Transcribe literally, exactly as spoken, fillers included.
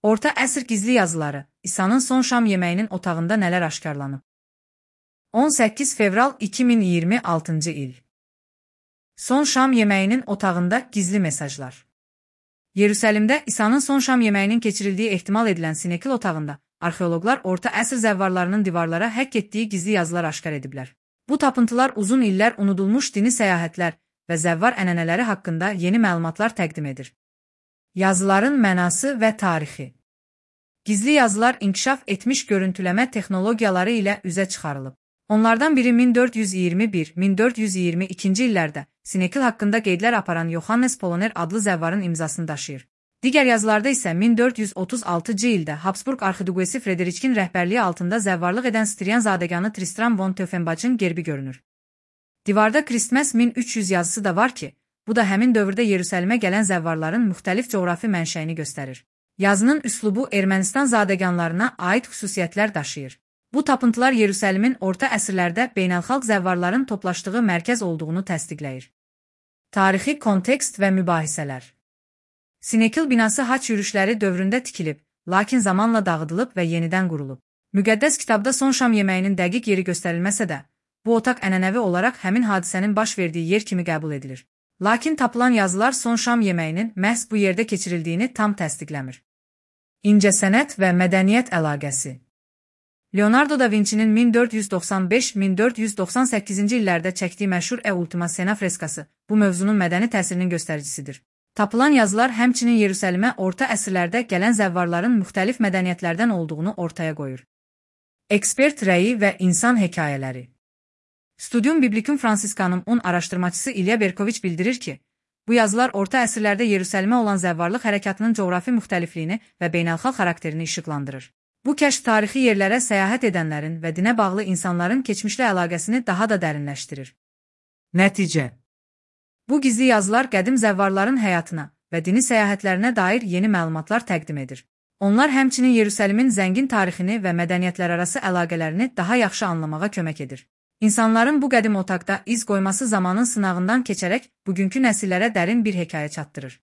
Orta əsr gizli yazıları, İsa'nın son şam yeməyinin otağında nələr aşkarlanıb? on səkkiz fevral iki min iyirmi altıncı il. Son şam yeməyinin otağında gizli mesajlar. Yerusəlimdə İsa'nın son şam yeməyinin keçirildiyi ehtimal edilən Sinekil otağında arxeoloqlar orta əsr zəvvarlarının divarlara həkk etdiyi gizli yazılar aşkar ediblər. Bu tapıntılar uzun illər unudulmuş dini səyahətlər və zəvvar ənənələri haqqında yeni məlumatlar təqdim edir. Yazıların mənası və tarixi. Gizli yazılar inkişaf etmiş görüntüləmə texnologiyaları ilə üzə çıxarılıb. Onlardan biri min dörd yüz iyirmi bir - min dörd yüz iyirmi ikinci illərdə Sinekil haqqında qeydlər aparan Yohannes Poloner adlı zəvvarın imzasını daşıyır. Digər yazılarda isə min dörd yüz otuz altıncı ildə Habsburg arxiduqesi Frederikin rəhbərliyi altında zəvvarlıq edən Striyan zadəganı Tristram von Tiefenbach'ın gerbi görünür. Divarda Kristməs min üç yüz yazısı da var ki, bu da həmin dövrdə Yerusəlimə gələn zəvvarların müxtəlif coğrafi mənşəyini göstərir. Yazının üslubu Ermənistan zadəganlarına aid xüsusiyyətlər daşıyır. Bu tapıntılar Yerusəlimin orta əsrlərdə beynəlxalq zəvvarların toplaşdığı mərkəz olduğunu təsdiqləyir. Tarixi kontekst və mübahisələr. Sinekil binası haç yürüşləri dövründə tikilib, lakin zamanla dağıdılıb və yenidən qurulub. Müqəddəs kitabda son şam yeməyinin dəqiq yeri göstərilməsə də, bu otaq ənənəvi olaraq həmin hadisənin baş verdiyi yer kimi qəbul edilir. Lakin tapılan yazılar son şam yeməyinin məhz bu yerdə keçirildiyini tam təsdiqləmir. İncəsənət və mədəniyyət əlaqəsi. Leonardo da Vinci'nin min dörd yüz doxsan beş - min dörd yüz doxsan səkkizinci illərdə çəkdiyi məşhur E Ultima Sena freskası bu mövzunun mədəni təsirinin göstəricisidir. Tapılan yazılar həmçinin Yerusəlimə orta əsrlərdə gələn zəvvarların müxtəlif mədəniyyətlərdən olduğunu ortaya qoyur. Ekspert rəyi və insan hekayələri. Studium Biblicum Franciscanum-un araşdırmacısı İlya Berkoviç bildirir ki, bu yazılar orta əsrlərdə Yerusəlimə olan zəvvarlıq hərəkatının coğrafi müxtəlifliyini və beynəlxalq xarakterini işıqlandırır. Bu kəşf tarixi yerlərə səyahət edənlərin və dinə bağlı insanların keçmişlə əlaqəsini daha da dərinləşdirir. Nəticə. Bu gizli yazılar qədim zəvvarların həyatına və dini səyahətlərinə dair yeni məlumatlar təqdim edir. Onlar həmçinin Yerusəlimin zəngin tarixini və mədəniyyətlərarası əlaqələrini daha yaxşı anlamağa kömək edir. İnsanların bu qədim otaqda iz qoyması zamanın sınağından keçərək bugünkü nəsillərə dərin bir hekayə çatdırır.